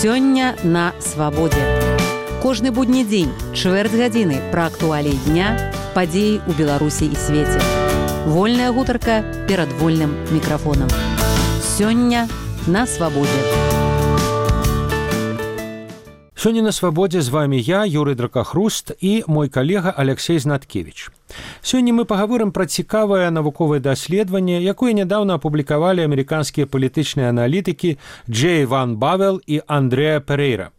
Сёння на свабодзе. Кожны будні дзень, чвэрць гадзіны пра актуаліі дня, падзеі ў Беларусі і свеце. Вольная гутарка перад вольным мікрафонам. Сёння на свабодзе. Сёння на свабодзе з вами я, Юрый Дракахруст, і мой калега Алексей Знаткевич. Сёння мы пагаворым пра цікавае навуковае даследаванне, якое нядаўна апублікавалі амерыканскія палітычныя аналітыкі Джей Ван Бавел і Андрэа Перейра.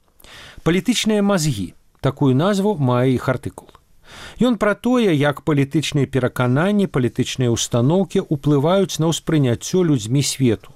«Палітычныя мазгі» – такую назву мае іх артыкул. Ён пра тое, як палітычныя перакананні, палітычныя ўстаноўкі ўплываюць на ўспрыняццё людзьмі свету.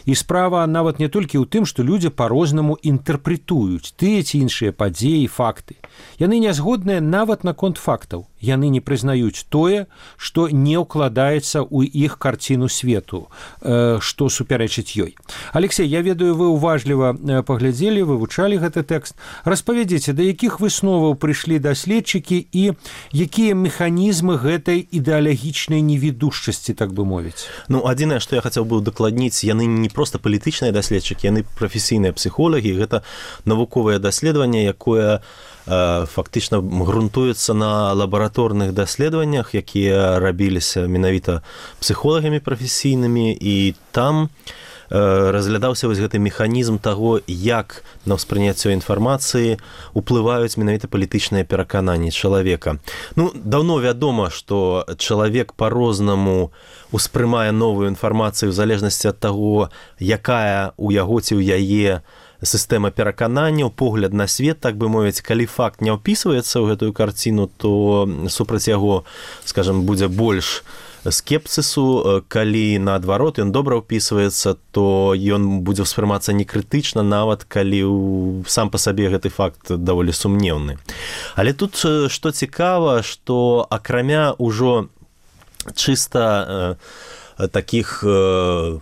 І справа нават не толькі ў тым, што людзі па-рознаму інтэрпрэтуюць тыя ці іншыя падзеі і факты. Яны не згодныя нават наконт фактаў. Яны не прызнаюць тое, што не ўкладаецца ў іх карціну свету, што супярэчыць ёй. Алексей, я ведаю, вы уважліва паглядзелі, вывучалі гэты тэкст. Распавядзіце, да якіх высноваў прыйшлі даследчыкі і якія механізмы гэтай ідэалагічнай невідушчасці, так бы мовіць? Адзінае, што я хацеў бы удакладніць, яны не проста палітычныя даследчыкі, яны прафесійныя псіхолагі, гэта навуковае даследаванне, якое фактычна грунтуецца на лабараторных даследаваннях, якія рабіліся менавіта псіхолагамі прафесійнымі, і там разглядаўся вось гэты механізм таго, як на ўспрыняццё інфармацыі ўплываюць менавіта палітычныя перакананні чалавека. Даўно вядома, што чалавек па-рознаму успрымае новую інфармацыю ў залежнасці ад таго, якая ў яго ці ў яе сістэма перакананняў, погляд на свет, так бы мовіць. Калі факт не ўпісваецца ў гэтую карціну, то супраць яго, скажам, будзе больш скепсісу. Калі, наадварот, ён добра ўпісваецца, то ён будзе ўспрымацца некрытычна, нават калі сам па сабе гэты факт даволі сумнеўны. Але тут што цікава, што акрамя ўжо чыста такіх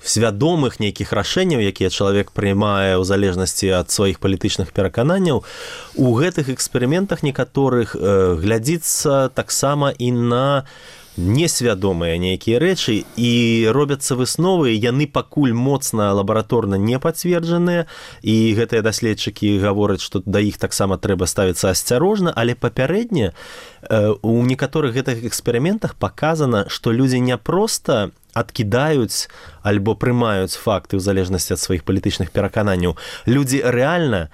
свядомых нейкіх рашэнняў, якія чалавек прымае ў залежнасці ад сваіх палітычных перакананняў, у гэтых эксперыментах некаторых глядзіцца таксама і на несвядомыя нейкія рэчы, і робяцца высновы, яны пакуль моцна лабараторна не пацверджаныя, і гэтыя даследчыкі гавораць, што да іх таксама трэба ставіцца асцярожна, але папярэдне у некаторых гэтых эксперыментах паказана, што людзі не проста адкідаюць альбо прымаюць факты ў залежнасці ад сваіх палітычных перакананняў. Людзі рэальна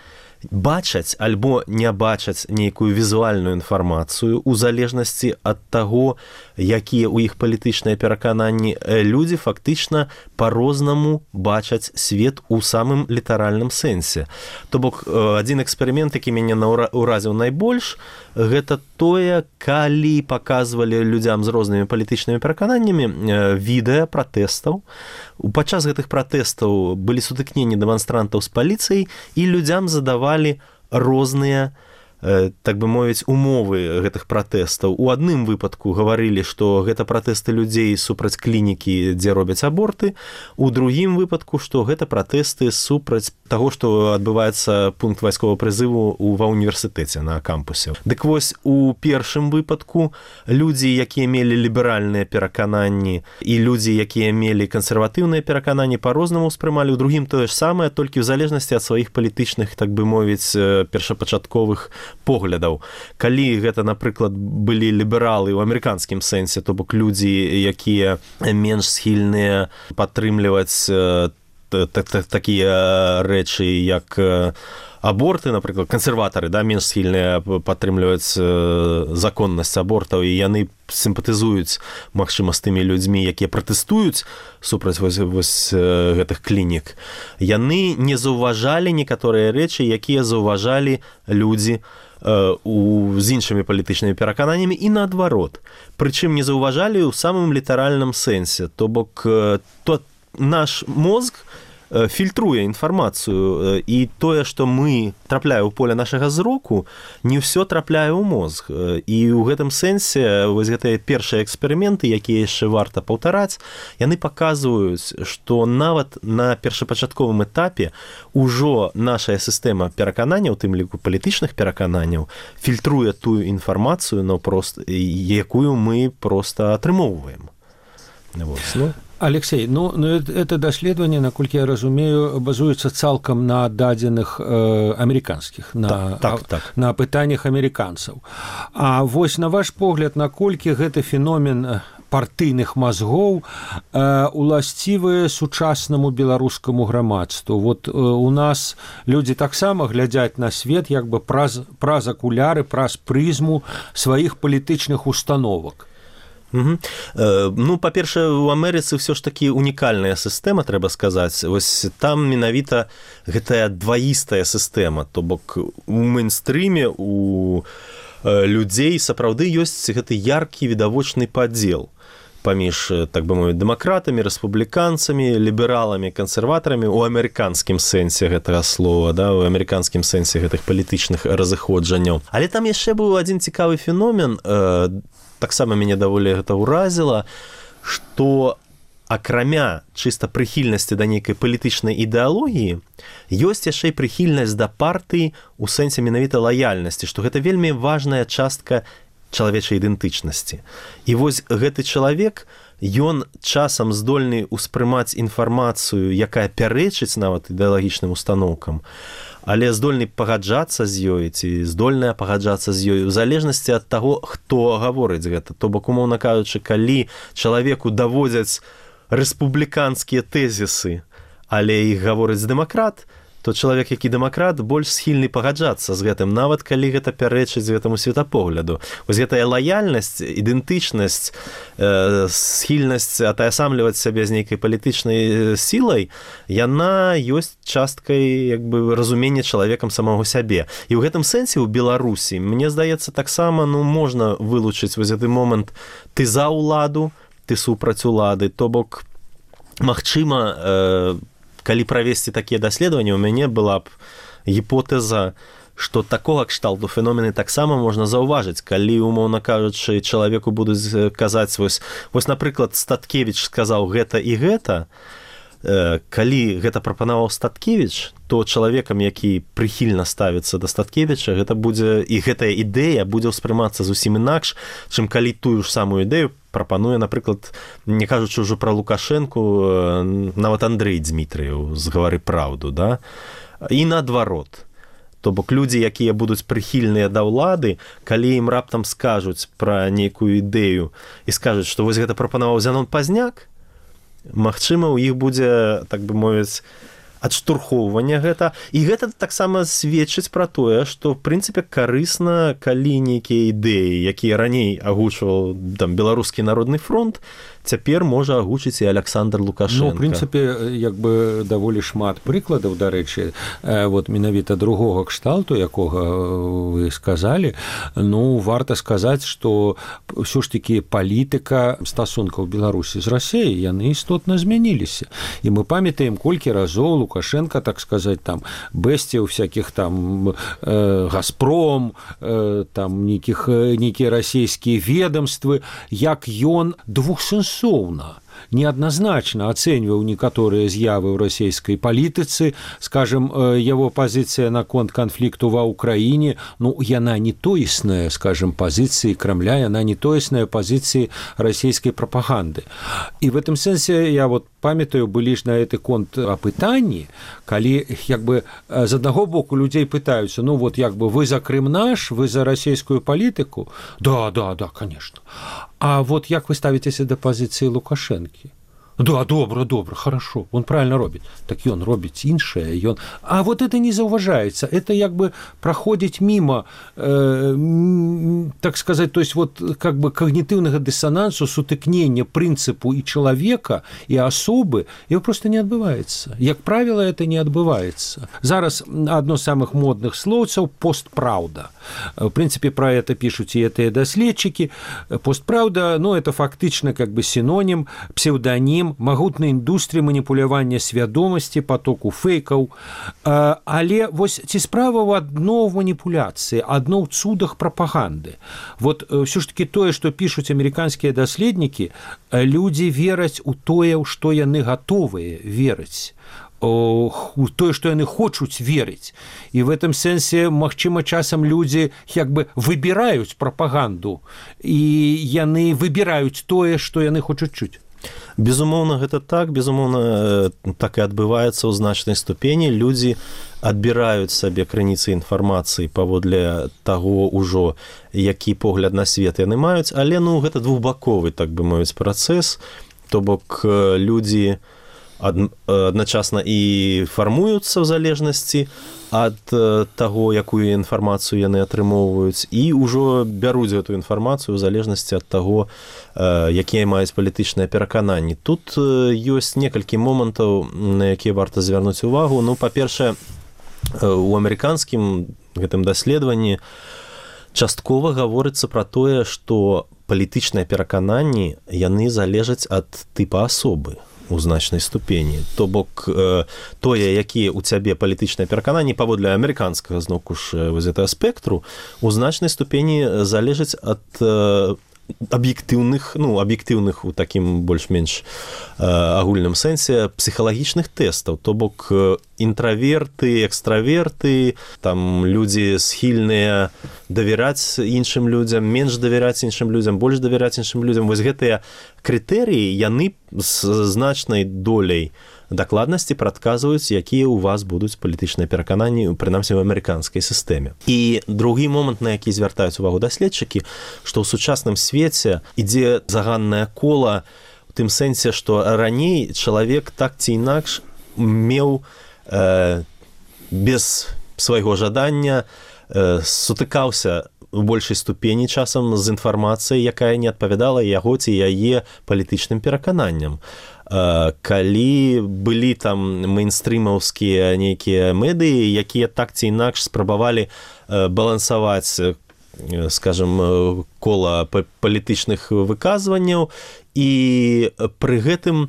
бачаць альбо не бачаць нейкую візуальную інфармацыю ў залежнасці ад таго, якія ў іх палітычныя перакананні. Людзі фактычна па-рознаму бачаць свет у самым літаральным сэнсе. То бок, адзін эксперымент, які мяне ўразіў найбольш, гэта тое, калі паказвалі людзям з рознымі палітычнымі перакананнямі відэа пратэстаў. Падчас гэтых пратэстаў былі сутыкненні дэманстрантаў з паліцыяй, і людзям задавалі розныя, так бы мовіць, умовы гэтых пратэстаў. У адным выпадку гаварылі, што гэта пратэсты людзей супраць клінікі, дзе робяць аборты. У другім выпадку, што гэта пратэсты супраць таго, што адбываецца пункт вайсковага прызыву ва ўніверсітэце на кампусе. Дык вось, у першым выпадку людзі, якія мелі ліберальныя перакананні, і людзі, якія мелі кансерватыўныя перакананні, па-рознаму ўспрымалі. У другім тое ж самае, толькі ў залежнасці ад сваіх палітычных, так бы мовіць, першапачатковых поглядаў. Калі гэта, напрыклад, былі лібералы ў амерыканскім сэнсе, то бок людзі, якія менш схільныя падтрымліваць такія рэчы, як аборты, напрыклад, кансерватары, менш схільныя падтрымліваць законнасць абортаў, і яны сімпатызуюць, магчыма, з тымі людзьмі, якія пратэстуюць супраць вось гэтых клінік. Яны не заўважалі некаторыя рэчы, якія заўважалі людзі з іншымі палітычнымі перакананнямі, і наадварот. Прычым не заўважалі ў самым літаральным сэнсе. То бок, наш мозг фільтруе інфармацыю, і тое, што мы трапляе ў поле нашага зроку, не ўсё трапляе ў мозг. І ў гэтым сэнсе вось гэтыя першыя эксперыменты, якія яшчэ варта паўтараць, яны паказваюць, што нават на першапачатковым этапе ўжо наша сістэма перакананняў, у тым ліку палітычных перакананняў, фільтруе тую інфармацыю, якую мы проста атрымоўваем. Алексей, это даследаванне, наколькі я разумею, базуецца цалкам на дадзеных амерыканскіх, на пытаннях амерыканцаў. А вось на ваш погляд, наколькі гэты феномен партыйных мазгоў уласцівы сучаснаму беларускаму грамадству. Вот у нас людзі таксама глядзяць на свет як бы праз акуляры, праз прызму сваіх палітычных установак. Па-першае, у Амерыцы ўсё ж такі унікальная сістэма, трэба сказаць. Вось там менавіта гэтая дваістая сістэма, то бок у мэйнстрыме, у людзей сапраўды ёсць гэты яркі відавочны падзел паміж, так бы мовіць, дэмакратамі, рэспубліканцамі, лібераламі, кансерватарамі у амерыканскім сэнсе гэтага слова, да, у амерыканскім сэнсе гэтых палітычных разыходжанняў. Але там яшчэ быў адзін цікавы феномен, таксама мяне даволі гэта ўразіла, што акрамя чыста прыхільнасці да нейкай палітычнай ідэалогіі, ёсць яшчэ і прыхільнасць да партыі ў сэнсе менавіта лаяльнасці, што гэта вельмі важная частка чалавечай ідэнтычнасці. І вось гэты чалавек, ён часам здольны ўспрымаць інфармацыю, якая пярэчыць нават ідэалагічным устаноўкам, але здольны пагаджацца з ёй ці здольная пагаджацца з ёй у залежнасці ад таго, хто гаворыць гэта. То бок, умоўна кажучы, калі чалавеку даводзяць рэспубліканскія тэзісы, але іх гаворыць дэмакрат, то чалавек, які дэмакрат, больш схільны пагаджацца з гэтым, нават калі гэта пярэчыць гэтаму светапогляду. Вось гэтая лаяльнасць, ідэнтычнасць, схільнасць атаясамліваць сябе з нейкай палітычнай сілай, яна ёсць часткай як бы разумення чалавекам самого сябе. І ў гэтым сэнсе ў Беларусі, мне здаецца, таксама можна вылучыць вось гэты момант ты за ўладу, ты супраць улады, то бок, магчыма, калі правесці такія даследаванні, у мяне была б гіпотэза, што такога кшталту феномены таксама можна заўважыць, калі, умоўна кажучы, чалавеку будуць казаць, вось, напрыклад, Статкевіч сказаў гэта і гэта, калі гэта прапанаваў Статкевіч, то чалавекам, які прыхільна ставіцца да Статкевіча, гэта будзе, і гэтая ідэя будзе ўспрымацца зусім інакш, чым калі тую ж самую ідэю прапануе, напрыклад, не кажучы ўжо пра Лукашэнку, нават Андрэй Дзмітрыеў з «Гавары праўду», да? І наадварот. То бок людзі, якія будуць прыхільныя да ўлады, калі ім раптам скажуць пра нейкую ідэю і скажуць, што вось гэта прапанаваў Зянон Пазняк, магчыма, у іх будзе, так бы мовіць, адштурхоўванне гэта. І гэта таксама сведчыць пра тое, што, в прынцыпе, карысна, калі нейкія ідэі, якія раней агучваў там Беларускі народны фронт, цяпер можа агучыць і Аляксандр Лукашенко. В прынцыпе, як бы даволі шмат прыкладаў, дарэчы, вот менавіта другога кшталту, якога вы сказалі, варта сказаць, што ўсё ж такі палітыка стасункаў Беларусі з Расіяй, яны істотна змяніліся. І мы памятаем, колькі разоў Лукашенко, так сказаць, там, бэсціў всякіх там Газпром, там, нейкія расійскія ведомствы, як ён двухсэнсоўна, неадназначна ацэньваў некаторыя з'явы ў расійскай палітыцы, скажем, яго пазіцыя наконт канфлікту ва ўкраіне, яна не тоесная, скажем, пазіцыі Крамля, яна не тоесная пазіцыі расійскай прапаганды. І в этом сэнсе я вот памятаю, былі ж на гэты конт апытанні, калі як бы з аднаго боку людзей пытаюцца, вот як бы вы за Крым наш, вы за расійскую палітыку? Да, конечно. А вот як вы ставіцеся да пазіцыі Лукашэнкі? Да, добра, хорошо, он правильно робіць. Так ён робіць іншае, А вот это не заўважаецца, это як бы праходзіць мімо, так сказать, то есть вот как бы когнитивного диссонансу, сутыкнення прынцыпу і чалавека, і асобы, его просто не адбываецца. Як правило, это не адбываецца. Зараз одно з самых модных слоўцаў – постправда. В принципе, про это пишут и это даследчики. Постправда, это фактично как бы синоним, псевдоним магутнай індустрыі маніпулявання свядомасці, потоку фейкаў. Але вось ці справа ў адно ў маніпуляцыі, адно ў цудах прапаганды. Вот ўсё ж такі тое, што пішуць амерыканскія даследнікі, людзі вераць у тое, у што яны гатовыя верыць, у тое, што яны хочуць верыць. І в этом сэнсе, магчыма, часам людзі як бы выбіраюць прапаганду, і яны выбіраюць тое, што яны хочуць чуць. Безумоўна, гэта так. Безумоўна, так і адбываецца ў значнай ступені. Людзі адбіраюць сабе крыніцы інфармацыі паводле таго ўжо, які погляд на свет яны маюць, але гэта двухбаковы, так бы мовіць, працэс. То бок людзі адначасна і фармуюцца ў залежнасці ад таго, якую інфармацыю яны атрымоўваюць, і ўжо бяруць гэту інфармацыю ў залежнасці ад таго, якія маюць палітычныя перакананні. Тут ёсць некалькі момантаў, на якія варта звярнуць увагу. Па-першае, у амерыканскім гэтым даследаванні часткова гаворыцца пра тое, што палітычныя перакананні, яны залежаць ад тыпа асобы у значнай ступені. То бок, тое, якія ў цябе палітычныя перакананні паводле амерыканскага, зноўку ж, вось гэтага спектру, у значнай ступені залежаць ад аб'ектыўных у такім больш-менш агульным сэнсе псіхалагічных тэстаў. То бок, інтраверты, экстраверты, там людзі схільныя давяраць іншым людзям, менш давяраць іншым людзям, больш давяраць іншым людзям. Вось гэтыя крытэрыі, яны з значнай доляй дакладнасці прадказваюць, якія ў вас будуць палітычныя перакананні, прынамсі ў амерыканскай сістэме. І другі момант, на які звяртаюць увагу даследчыкі, што ў сучасным свеце ідзе заганнае кола у тым сэнсе, што раней чалавек так ці інакш меў без свайго жадання сутыкаўся у большай ступені часам з інфармацыяй, якая не адпавядала яго ці яе палітычным перакананням. Калі былі там мейнстрымаўскія нейкія медыі, якія так ці інакш спрабавалі балансаваць, скажем, кола палітычных выказванняў, і пры гэтым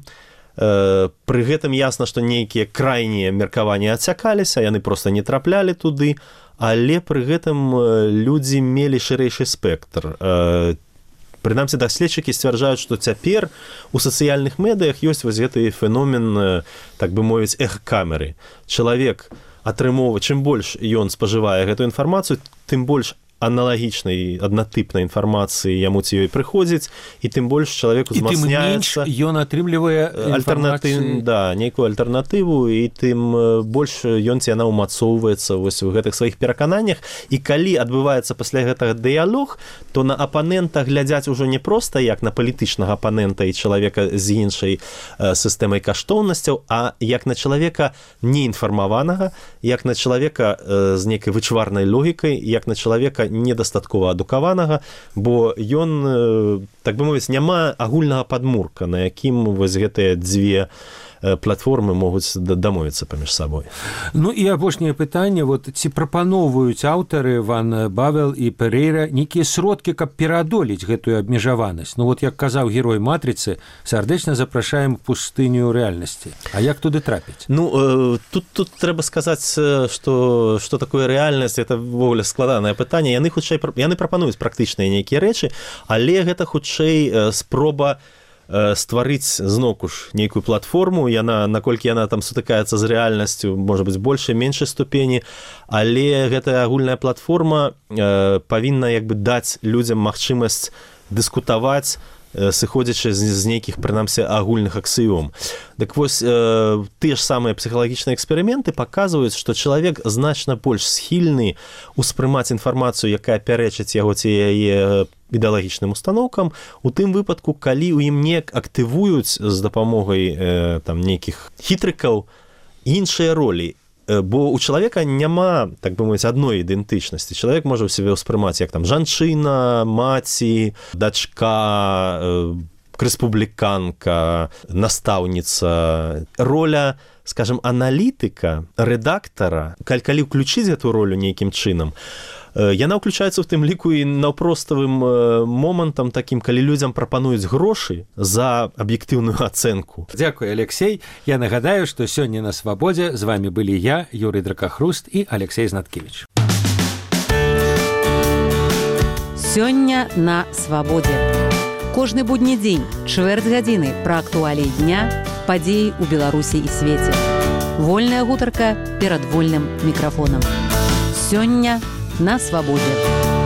ясна, што нейкія крайнія меркаванні адцякаліся, яны проста не траплялі туды, але пры гэтым людзі мелі шырэйшы спектр. Прынамсі, даследчыкі сцвярджаюць, што цяпер у сацыяльных медыях ёсць вось гэты феномен, так бы мовіць, эхокамеры. Чалавек атрымоўвае, чым больш ён спажывае гэту інфармацыю, тым больш аналагічнай, аднатыпнай інфармацыі яму ці ёй прыходзіць, і тым больш чалавек узмацняецца. І тым менш ён атрымлівае інфармацыю. Да, нейкую альтэрнатыву, і тым больш ён ці яна ўмацоўваецца вось у гэтых сваіх перакананнях. І калі адбываецца пасля гэтага дыялог, то на апанента глядзяць ужо не проста як на палітычнага апанента і чалавека з іншай сістэмай каштоўнасцяў, а як на чалавека неінфармаванага, як на чалавека з нейкай вычварнай логікай, як на чалавека недастаткова адукаванага, бо ён, так бы мовіць, няма агульнага падмурка, на якім вось гэтыя дзве платформы могуць дамовіцца паміж сабой. І апошняе пытанне, ці прапаноўваюць аўтары Ван Бавел і Перейра нейкія сродкі, каб пераадолець гэтую абмежаванасць? Як казаў герой «Матрыцы», сардэчна запрашаем пустыню рэальнасці. А як туды трапіць? Тут трэба сказаць, што такое рэальнасць, это ввогуле складанае пытанне. Яны прапануюць практычныя нейкія рэчы, але гэта хутчэй спроба стварыць зноўку ж нейкую платформу, наколькі яна там сутыкаецца з рэальнасцю, можа быць, большай, меншай ступені, але гэтая агульная платформа павінна даць людзям магчымасць дыскутаваць, сыходзячы з нейкіх, прынамсі, агульных аксіём. Так вось, тыя ж самыя псіхалагічныя эксперыменты паказваюць, што чалавек значна больш схільны ўспрымаць інфармацыю, якая пярэчыць яго ці яе ідэалагічным установкам, у тым выпадку, калі ў ім не актывуюць з дапамогай нейкіх хітрыкаў іншыя ролі. Бо у чалавека няма, так бы мовіць, адной ідэнтычнасці. Чалавек можа ў сябе ўспрымаць як жанчына, маці, дачка, рэспубліканка, настаўніца. Роля, скажем, аналітыка, рэдактара, калі ўключыць гэту ролю нейкім чынам, яна ўключаецца ў тым ліку і наўпроставым момантам такім, калі людзям прапануюць грошы за аб'ектыўную ацэнку. Дзякуй, Алексей. Я нагадаю, што сёння на Свабодзе з вами былі я, Юрый Дракахруст і Алексей Знаткевич. Сёння на Свабодзе. Кожны будні дзень, чвэрць гадзіны пра актуаліі дня, падзеі ў Беларусі і свеце. Вольная гутарка перад вольным мікрафонам. Сёння на Свабодзе.